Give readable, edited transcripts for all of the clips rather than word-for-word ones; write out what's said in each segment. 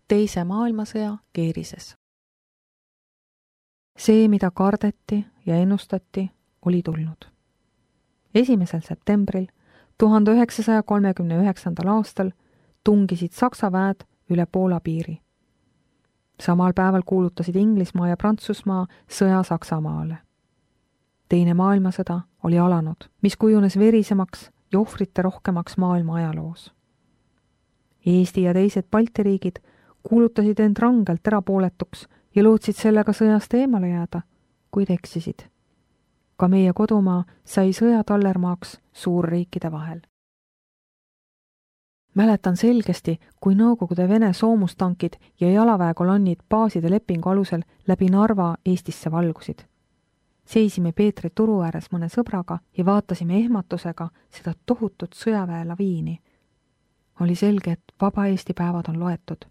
Teise maailmasõja keerises. See, mida kardeti ja ennustati, oli tulnud. 1. septembril 1939. aastal tungisid Saksa väed üle Poola piiri. Samal päeval kuulutasid Inglismaa ja Prantsusmaa sõja Saksamaale. Teine maailmasõda oli alanud, mis kujunes verisemaks ja ohvrite rohkemaks maailma ajaloos. Eesti ja teised Balti riigid kuulutasid end rangelt erapooletuks ja lootsid sellega sõjast eemale jääda, kuid eksisid. Ka meie kodumaa sai sõja tallermaaks suurriikide vahel. Mäletan selgesti, kui Nõukogude Vene soomustankid ja jalaväekolonnid baaside lepingu alusel läbi Narva Eestisse valgusid. Seisime Peetri turu ääres mõne sõbraga ja vaatasime ehmatusega seda tohutut sõjaväe laviini. Oli selge, et vaba Eesti päevad on loetud,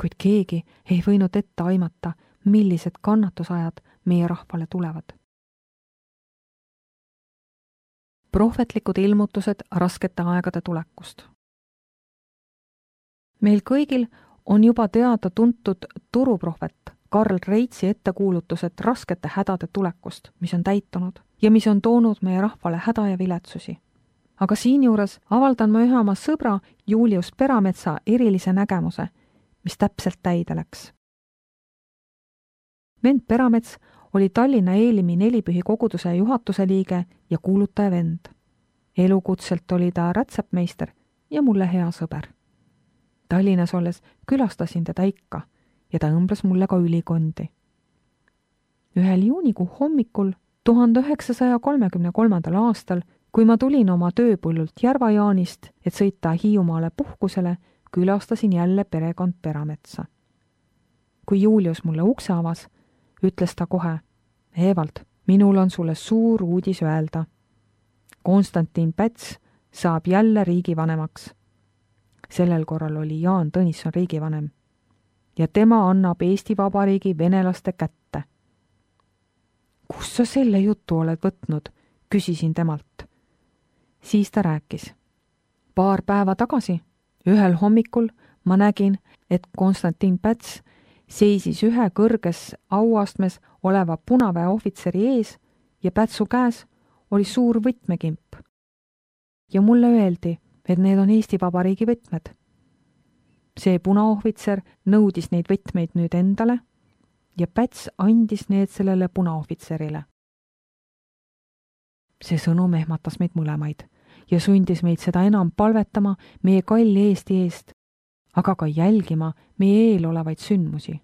kuid keegi ei võinud ette aimata, millised kannatusajad meie rahvale tulevad. Prohvetlikud ilmutused raskete aegade tulekust. Meil kõigil on juba teada tuntud turuprohvet Karl Reitsi ettekuulutused raskete hädade tulekust, mis on täitunud ja mis on toonud meie rahvale häda ja viletsusi. Aga siinjuures avaldan ma ühe oma sõbra Julius Perametsa erilise nägemuse, mis täpselt täide läks. Vend Peramets oli Tallinna Eelimi nelipühi koguduse juhatuse liige ja kuulutaja vend. Elukutselt oli ta rätsepmeister ja mulle hea sõber. Tallinnas olles külastasin teda ikka ja ta õmblas mulle ka ülikondi. Ühel juunikuu hommikul 1933. aastal, kui ma tulin oma tööpõllult Järva-Jaanist, et sõita Hiiumaale puhkusele, külastasin jälle perekond Perametsa. Kui Julius mulle ukse avas, ütles ta kohe: Evald, minul on sulle suur uudis öelda. Konstantin Päts saab jälle riigivanemaks. Sellel korral oli Jaan Tõnisson riigivanem. Ja tema annab Eesti Vabariigi venelaste kätte. Kus sa selle jutu oled võtnud? Küsisin temalt. Siis ta rääkis. Paar päeva tagasi, ühel hommikul ma nägin, et Konstantin Päts seisis ühe kõrges auastmes oleva punaväe ohvitseri ees ja Pätsu käes oli suur võtmekimp. Ja mulle öeldi, et need on Eesti Vabariigi võtmed. See punaohvitser nõudis neid võtmeid nüüd endale ja Päts andis need sellele punaohvitserile. See sõnum ehmatas meid mõlemaid ja sundis meid seda enam palvetama meie kalli Eesti eest, aga ka jälgima meie eel olevaid sündmusi.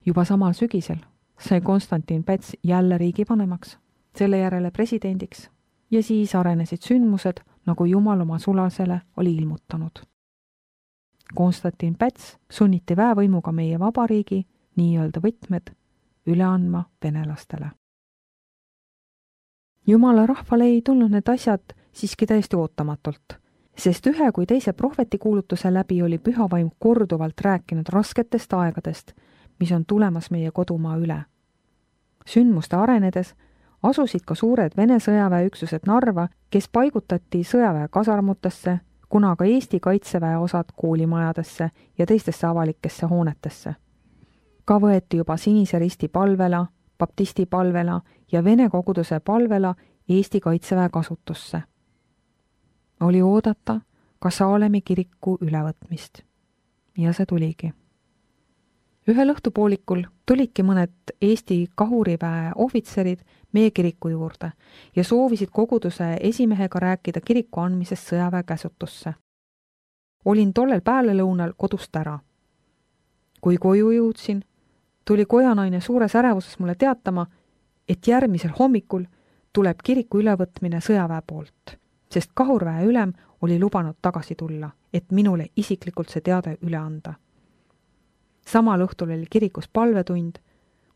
Juba samal sügisel sai Konstantin Päts jälle riigivanemaks, selle järele presidendiks ja siis arenesid sündmused, nagu Jumal oma sulasele oli ilmutanud. Konstantin Päts sunniti väevõimuga meie vabariigi nii-öelda võtmed üle andma venelastele. Jumala rahvale ei tulnud need asjad siiski täiesti ootamatult, sest ühe kui teise prohvetikuulutuse läbi oli pühavaim korduvalt rääkinud rasketest aegadest, mis on tulemas meie kodumaa üle. Sündmuste arenedes asusid ka suured Vene sõjaväeüksused Narva, kes paigutati sõjaväe kasarmutesse, kuna ka Eesti kaitseväe osad koolimajadesse ja teistesse avalikesse hoonetesse. Ka võeti juba Sinise Risti palvela, baptisti palvela ja Vene koguduse palvela Eesti kaitseväe kasutusse. Oli oodata ka Saalemi kiriku ülevõtmist. Ja see tuligi. Ühel õhtupoolikul tulidki mõned Eesti kahuriväe ohvitserid meie kiriku juurde ja soovisid koguduse esimehega rääkida kiriku andmisest sõjaväe käsutusse. Olin tollel päälelõunal kodust ära. Kui koju jõudsin, tuli kojanaine suures ärevuses mulle teatama, et järgmisel hommikul tuleb kiriku ülevõtmine sõjaväe poolt, sest kahurväe ülem oli lubanud tagasi tulla, et minule isiklikult see teade üle anda. Samal õhtul oli kirikus palvetund,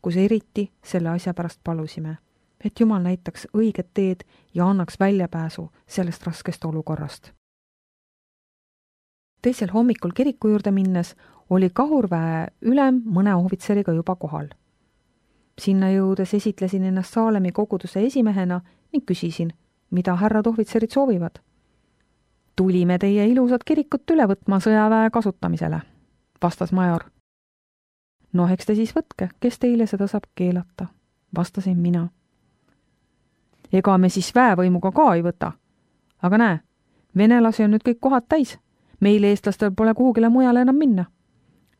kus eriti selle asja pärast palusime, et Jumal näitaks õiget teed ja annaks väljapääsu sellest raskest olukorrast. Teisel hommikul kiriku juurde minnes oli kahurväe ülem mõne ohvitseriga juba kohal. Sinna jõudes esitlesin ennast Saalemi koguduse esimehena ning küsisin, mida härrad ohvitserid soovivad. Tulime teie ilusat kirikut üle võtma sõjaväe kasutamisele, vastas major. No eks te siis võtke, kes teile seda saab keelata, vastasin mina. Ega me siis väevõimuga ka ei võta. Aga näe, venelasi on nüüd kõik kohad täis. Meil eestlastel pole kuhugile mujale enam minna,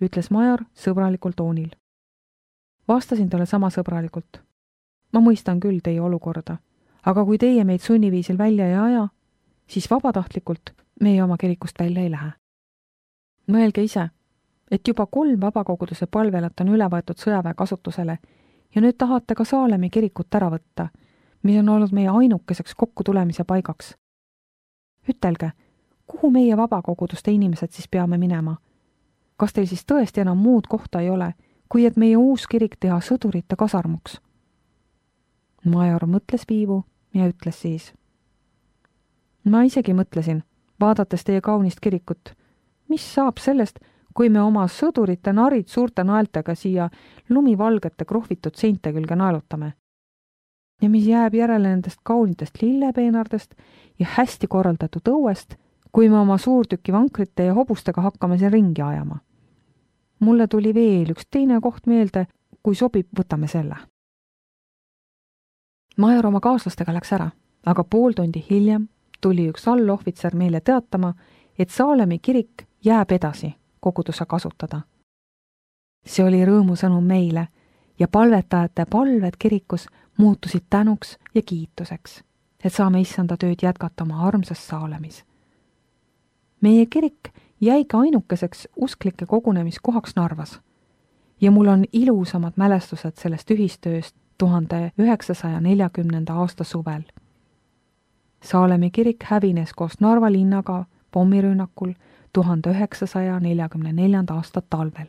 ütles major sõbralikul toonil. Vastasin talle sama sõbralikult. Ma mõistan küll teie olukorda, aga kui teie meid sunniviisil välja ei aja, siis vabatahtlikult meie oma kirikust välja ei lähe. Mõelge ise, et juba 3 vabakoguduse palvelat on üle võetud sõjaväe kasutusele ja nüüd tahate ka Saalemi kirikut ära võtta, mis on olnud meie ainukeseks kokkutulemise paigaks. Ütelge, kuhu meie vabakoguduste inimesed siis peame minema? Kas teil siis tõesti enam muud kohta ei ole, kui et meie uus kirik teha sõdurite kasarmuks? Major mõtles viivu ja ütles siis. Ma isegi mõtlesin, vaadates teie kaunist kirikut, mis saab sellest, kui me oma sõdurite narid suurte naeltega siia lumivalgete krohvitud seinte külge naelutame. Ja mis jääb järele nendest kaunitest lillepeenardest ja hästi korraldatud õuest, kui me oma suurtüki vankrite ja hobustega hakkame siin ringi ajama. Mulle tuli veel üks teine koht meelde, kui sobib, võtame selle. Major oma kaaslastega läks ära, aga pool tundi hiljem tuli üks allohvitser meile teatama, et Saalemi kirik jääb edasi koguduse kasutada. See oli rõõmusõnum meile ja palvetajate palved kirikus muutusid tänuks ja kiituseks, et saame issanda tööd jätkata oma armsas Saalemis. Meie kirik jäigi ainukeseks usklike kogunemiskohaks Narvas ja mul on ilusamad mälestused sellest ühistööst 1940. aasta suvel. Saalemi kirik hävines koos Narva linnaga pommirünnakul 1944. aasta talvel.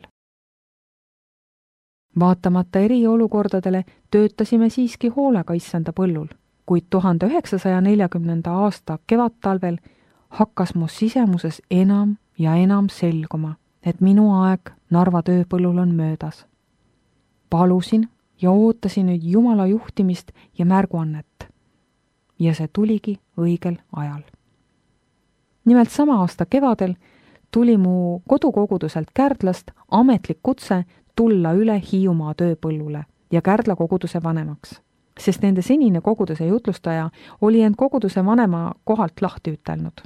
Vaatamata eriolukordadele töötasime siiski hoolega issanda põllul, kuid 1940. aasta kevadtalvel hakkas mu sisemuses enam ja enam selguma, et minu aeg Narva tööpõllul on möödas. Palusin ja ootasin nüüd Jumala juhtimist ja märguannet. Ja see tuligi õigel ajal. Nimelt sama aasta kevadel tuli mu kodukoguduselt Kärdlast ametlik kutse tulla üle Hiiumaa tööpõllule ja Kärdla koguduse vanemaks, sest nende senine koguduse jutlustaja oli end koguduse vanema kohalt lahti ütelnud.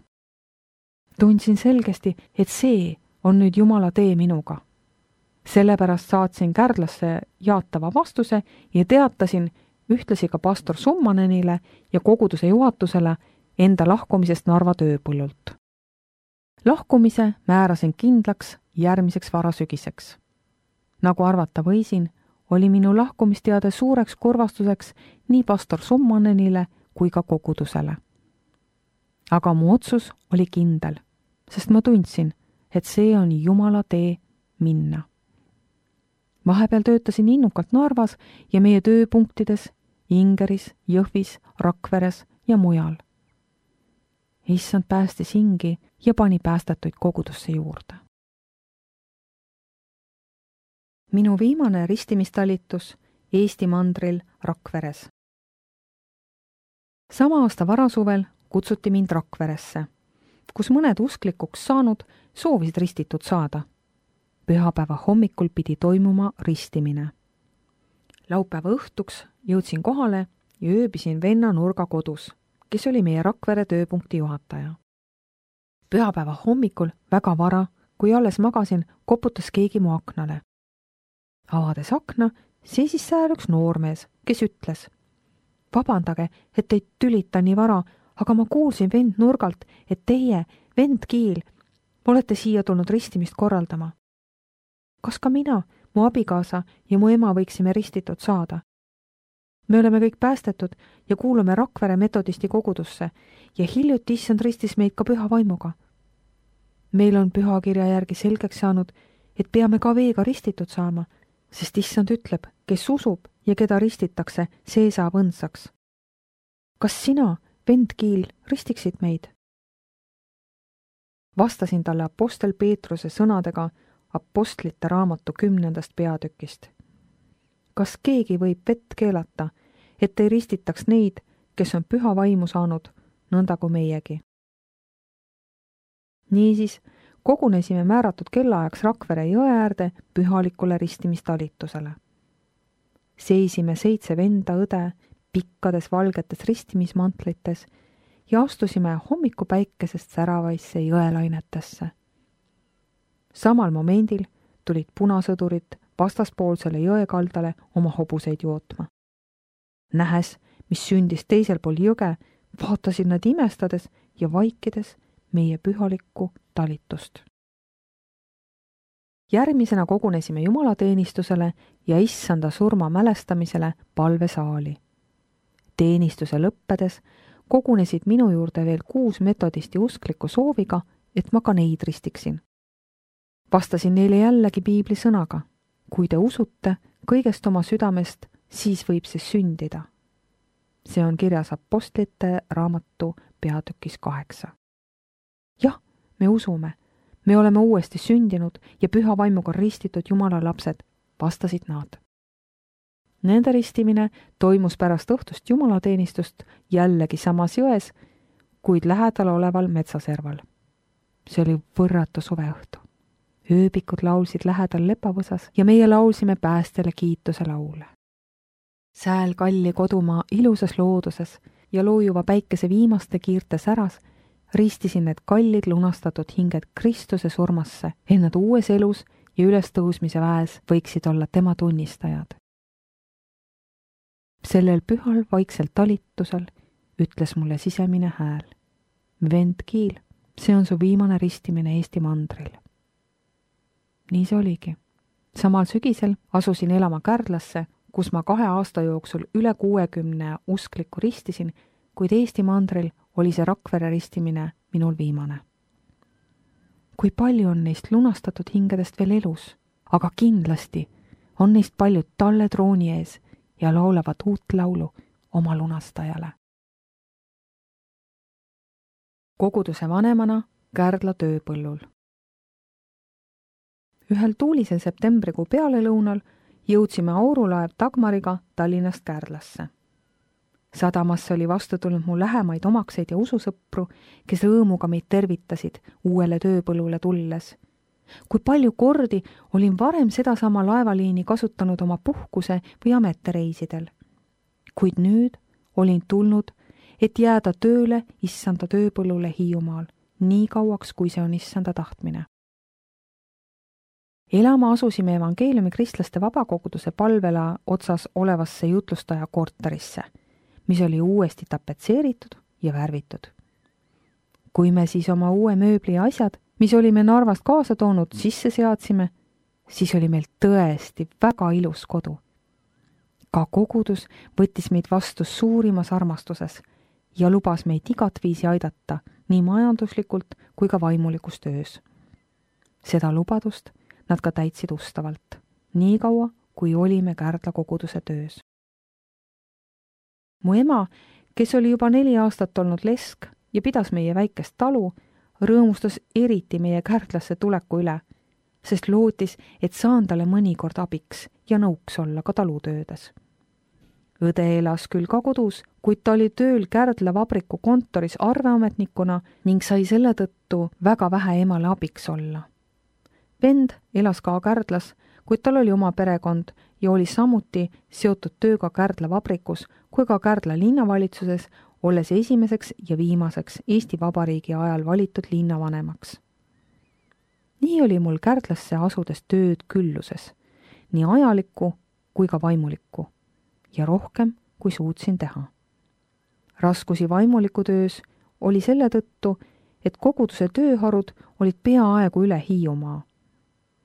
Tundsin selgesti, et see on nüüd Jumala tee minuga. Sellepärast saatsin Kärdlasse jaatava vastuse ja teatasin ühtlasi ka pastor Summanenile ja koguduse juhatusele enda lahkumisest Narva tööpõllult. Lahkumise määrasin kindlaks järgmiseks varasügiseks. Nagu arvata võisin, oli minu lahkumisteade suureks kurvastuseks nii pastor Summanenile kui ka kogudusele. Aga mu otsus oli kindel, sest ma tundsin, et see on Jumala tee minna. Vahepeal töötasin innukalt Narvas ja meie tööpunktides Ingeris, Jõhvis, Rakveres ja mujal. Issand päästis hingi ja pani päästetuid kogudusse juurde. Minu viimane ristimistalitus Eesti mandril Rakveres. Sama aasta varasuvel kutsuti mind Rakveresse, kus mõned usklikuks saanud soovisid ristitud saada. Pühapäeva hommikul pidi toimuma ristimine. Laupäeva õhtuks jõudsin kohale ja ööbisin venna Nurga kodus, kes oli meie Rakvere tööpunkti juhataja. Pühapäeva hommikul väga vara, kui alles magasin, koputas keegi mu aknale. Avades akna, seisis seal üks noormees, kes ütles: "Vabandage, et teid tülita nii vara, aga ma kuulsin vend Nurgalt, et teie, vend Kiil, olete siia tulnud ristimist korraldama. Kas ka mina, mu abikaasa ja mu ema võiksime ristitud saada? Me oleme kõik päästetud ja kuulume Rakvere metodisti kogudusse ja hiljuti issand ristis meid ka püha vaimuga. Meil on pühakirja järgi selgeks saanud, et peame ka veega ristitud saama, sest issand ütleb, kes usub ja keda ristitakse, see saab õndsaks. Kas sina, vend Kiil, ristiksid meid?" Vastasin talle apostel Peetruse sõnadega Apostlite raamatu 10. peatükist. Kas keegi võib vett keelata, et ei ristitaks neid, kes on püha vaimu saanud, nõnda kui meiegi? Niisiis, Kogunesime määratud kellaajaks Rakvere jõe äärde pühalikule ristimistalitusele. Seisime 7 venda õde pikkades valgetes ristimismantlites ja astusime hommikupäikesest säravaisse jõelainetesse. Samal momendil tulid punasõdurid vastaspoolsele jõekaldale oma hobuseid jootma. Nähes, mis sündis teisel pool jõge, vaatasid nad imestades ja vaikides meie pühalikku talitust. Järgmisena kogunesime jumalateenistusele ja issanda surma mälestamisele palvesaali. Teenistuse lõppedes kogunesid minu juurde veel 6 metodisti uskliku sooviga, et ma ka neid ristiksin. Vastasin neile jällegi piibli sõnaga: kui te usute kõigest oma südamest, siis võib see sündida. See on kirjas Apostlite raamatu peatükis 8. Jah, me usume, me oleme uuesti sündinud ja püha vaimuga ristitud Jumala lapsed, vastasid nad. Nende ristimine toimus pärast õhtust jumalateenistust jällegi samas jões, kuid lähedal oleval metsaserval. See oli võrratu suveõhtu. Ööbikud laulsid lähedal lepavõsas ja meie laulsime päästjale kiituse laule. Sääl kalli kodumaa ilusas looduses ja loojuva päikese viimaste kiirte säras ristisin need kallid lunastatud hinged Kristuse surmasse, et nad uues elus ja ülestõusmise väes võiksid olla tema tunnistajad. Sellel pühal vaiksel talitusel ütles mulle sisemine hääl: vend Kiil, see on su viimane ristimine Eesti mandril. Nii see oligi. Samal sügisel asusin elama Kärdlasse, kus ma 2 aasta jooksul üle 60 usklikku ristisin, kuid Eesti mandril oli see Rakvere ristimine minul viimane. Kui palju on neist lunastatud hingedest veel elus, aga kindlasti on neist paljud talle trooni ees ja laulavad uut laulu oma lunastajale. Koguduse vanemana Kärdla tööpõllul. Ühel tuulisel septembrikuu pealelõunal jõudsime aurulaev Dagmariga Tallinnast Kärdlasse. Sadamasse oli vastu tulnud mu lähemaid omakseid ja ususõpru, kes rõõmuga meid tervitasid uuele tööpõllule tulles. Kui palju kordi olin varem sedasama laevaliini kasutanud oma puhkuse või ametireisidel. Kuid nüüd olin tulnud, et jääda tööle issanda tööpõllule Hiiumaal, nii kauaks, kui see on issanda tahtmine. Elama asusime evangeeliumi kristlaste vabakoguduse palvela otsas olevasse jutlustaja korterisse, mis oli uuesti tapetseeritud ja värvitud. Kui me siis oma uue mööbli ja asjad, mis olime Narvast kaasa toonud, sisse seadsime, siis oli meil tõesti väga ilus kodu. Ka kogudus võttis meid vastu suurimas armastuses ja lubas meid igat viisi aidata nii majanduslikult kui ka vaimulikus töös. Seda lubadust nad ka täitsid ustavalt, nii kaua, kui olime Kärdla koguduse töös. Mu ema, kes oli juba 4 aastat olnud lesk ja pidas meie väikest talu, rõõmustas eriti meie Kärdlasse tuleku üle, sest lootis, et saan talle mõnikord abiks ja nõuks olla ka talutöödes. Õde elas küll ka kodus, kuid ta oli tööl Kärdla vabriku kontoris arveametnikuna ning sai selle tõttu väga vähe emale abiks olla. Vend elas ka Kärdlas, kuid tal oli oma perekond ja oli samuti seotud tööga Kärdla vabrikus kui ka Kärdla linnavalitsuses, olles esimeseks ja viimaseks Eesti Vabariigi ajal valitud linnavanemaks. Nii oli mul Kärdlasse asudes tööd külluses, nii ajalikku kui ka vaimulikku, ja rohkem, kui suutsin teha. Raskusi vaimuliku töös oli selle tõttu, et koguduse tööharud olid peaaegu üle Hiiumaa.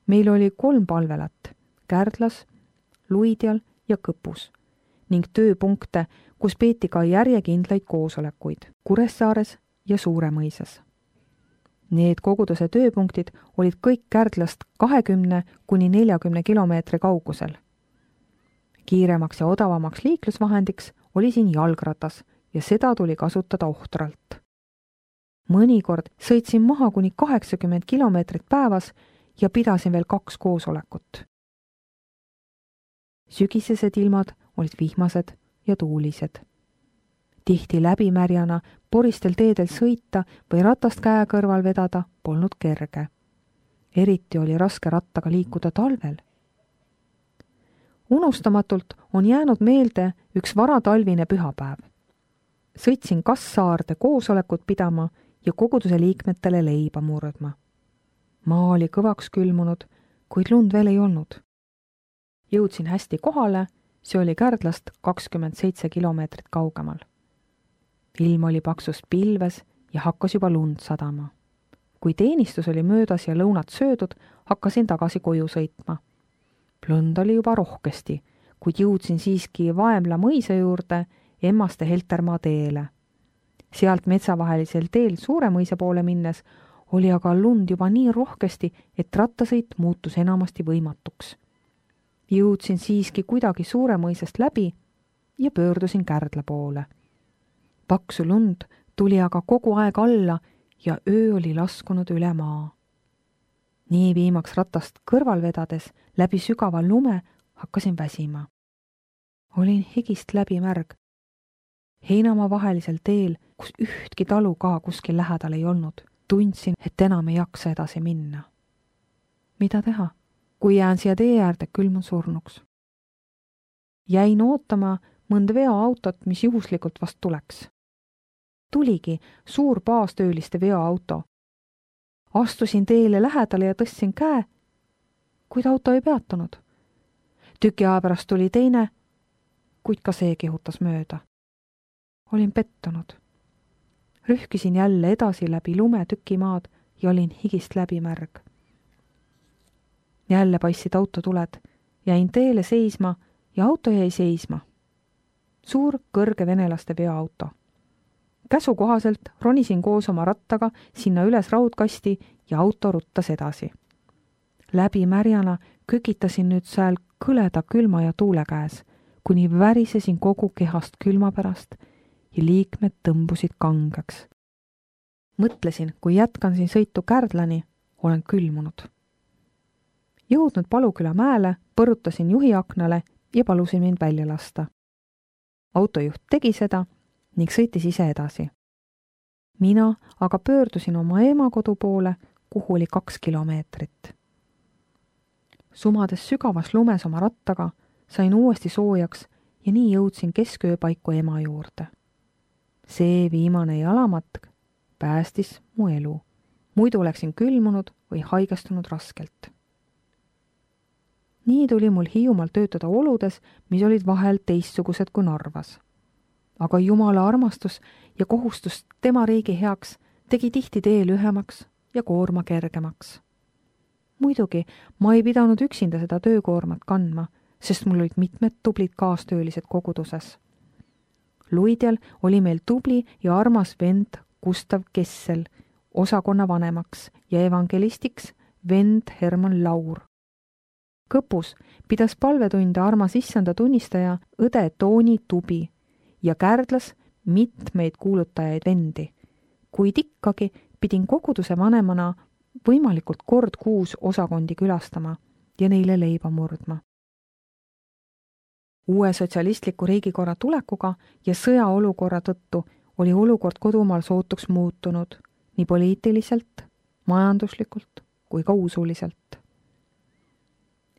Meil oli 3 palvelat, Kärdlas, Luidjal ja Kõpus, ning tööpunkte, kus peeti ka järjekindlaid koosolekuid Kuressaares ja Suuremõisas. Need koguduse tööpunktid olid kõik Kärdlast 20–40 kilomeetri kaugusel. Kiiremaks ja odavamaks liiklusvahendiks oli siin jalgratas ja seda tuli kasutada ohtralt. Mõnikord sõitsin maha kuni 80 kilomeetrit päevas ja pidasin veel 2 koosolekut. Sügisesed ilmad olid vihmased ja tuulised. Tihti läbimärjana poristel teedel sõita või ratast käe kõrval vedada polnud kerge. Eriti oli raske rattaga liikuda talvel. Unustamatult on jäänud meelde üks varatalvine pühapäev. Sõitsin Kassaarde koosolekut pidama ja koguduse liikmetele leiba murdma. Maa oli kõvaks külmunud, kuid lund veel ei olnud. Jõudsin hästi kohale, see oli Kärdlast 27 kilomeetrit kaugemal. Ilm oli paksust pilves ja hakkas juba lund sadama. Kui teenistus oli möödas ja lõunat söödud, hakkasin tagasi koju sõitma. Lund oli juba rohkesti, kuid jõudsin siiski Vaemla mõisa juurde Emmaste Heltermaa teele. Sealt metsavahelisel teel Suure mõisa poole minnes oli aga lund juba nii rohkesti, et rattasõit muutus enamasti võimatuks. Jõudsin siiski kuidagi Suure mõisast läbi ja pöördusin Kärdla poole. Paksu lund tuli aga kogu aeg alla ja öö oli laskunud üle maa. Nii viimaks ratast kõrval vedades läbi sügava lume hakkasin väsima. Olin higist läbi märg. Heinamaa vahelisel teel, kus ühtki talu ka kuskil lähedal ei olnud, tundsin, et enam ei jaksa edasi minna. Mida teha, kui jään siia tee äärde külmun surnuks? Jäin ootama mõnd veoautot, mis juhuslikult vast tuleks. Tuligi suur baastööliste veoauto. Astusin teele lähedale ja tõstsin käe, kuid auto ei peatunud. Tüki aja pärast tuli teine, kuid ka see kihutas mööda. Olin pettunud. Rühkisin jälle edasi läbi lume tükimaad ja olin higist läbi märg. Jälle paistsid autotuled, jäin teele seisma ja auto jäi seisma. Suur kõrge venelaste veoauto. Käsu kohaselt ronisin koos oma rattaga sinna üles raudkasti ja auto ruttas edasi. Läbi märjana kükitasin nüüd sääl kõleda külma ja tuule käes, kuni värisesin kogu kehast külma pärast ja liikmed tõmbusid kangeks. Mõtlesin, kui jätkan siin sõitu Kärdlani, olen külmunud. Jõudnud Paluküla mäele, põrutasin juhi aknale ja palusin mind välja lasta. Autojuht tegi seda ning sõitis ise edasi. Mina aga pöördusin oma ema kodu poole, kuhu oli 2 kilomeetrit. Sumades sügavas lumes oma rattaga sain uuesti soojaks ja nii jõudsin keskööpaiku ema juurde. See viimane jalamatk päästis mu elu. Muidu oleksin külmunud või haigestunud raskelt. Nii tuli mul Hiiumaal töötada oludes, mis olid vahel teistsugused kui Narvas. Aga Jumala armastus ja kohustus tema riigi heaks tegi tihti tee lühemaks ja koorma kergemaks. Muidugi ma ei pidanud üksinda seda töökoormat kandma, sest mul olid mitmed tublid kaastöölised koguduses. Luidjal oli meil tubli ja armas vend Gustav Kessel, osakonna vanemaks ja evangelistiks vend Herman Laur. Kõpus pidas palvetunde armas issanda tunnistaja õde Tooni Tubi ja Kärdlas mitmeid kuulutajaid vendi, kuid ikkagi pidin koguduse vanemana võimalikult kord kuus osakondi külastama ja neile leiba murdma. Uue sotsialistliku riigikorra tulekuga ja sõjaolukorra tõttu oli olukord kodumaal sootuks muutunud nii poliitiliselt, majanduslikult kui ka usuliselt.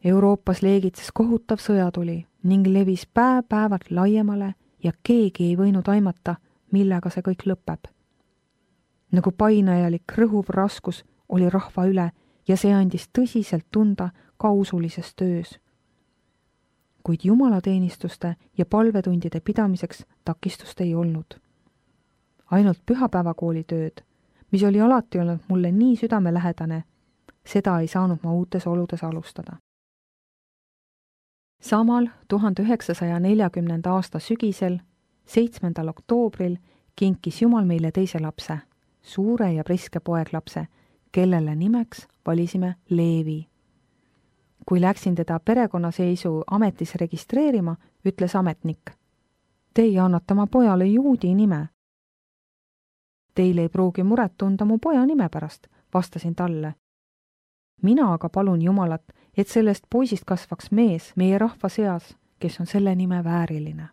Euroopas leegitses kohutav sõjatuli ning levis päevalt laiemale ja keegi ei võinud aimata, millega see kõik lõpeb. Nagu painajalik rõhuv raskus oli rahva üle ja see andis tõsiselt tunda ka usulises töös. Kuid jumalateenistuste ja palvetundide pidamiseks takistust ei olnud. Ainult pühapäevakooli tööd, mis oli alati olnud mulle nii südamelähedane, seda ei saanud ma uutes oludes alustada. Samal 1940. aasta sügisel, 7. oktoobril, kinkis Jumal meile teise lapse, suure ja priske poeglapse, kellele nimeks valisime Leevi. Kui läksin teda perekonnaseisu ametis registreerima, ütles ametnik: "Teie annate oma pojale juudi nime." "Teil ei pruugi muret tunda mu poja nime pärast," vastasin talle. "Mina aga palun Jumalat, et sellest poisist kasvaks mees meie rahva seas, kes on selle nime vääriline."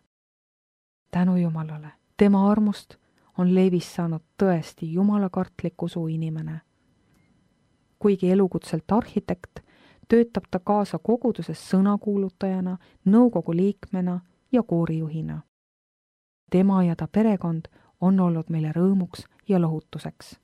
Tänu Jumalale, tema armust on Leevist saanud tõesti jumalakartlik usu inimene. kuigi elukutselt arhitekt, töötab ta kaasa koguduses sõnakuulutajana, nõukogu liikmena ja koorijuhina. Tema ja ta perekond on olnud meile rõõmuks ja lohutuseks.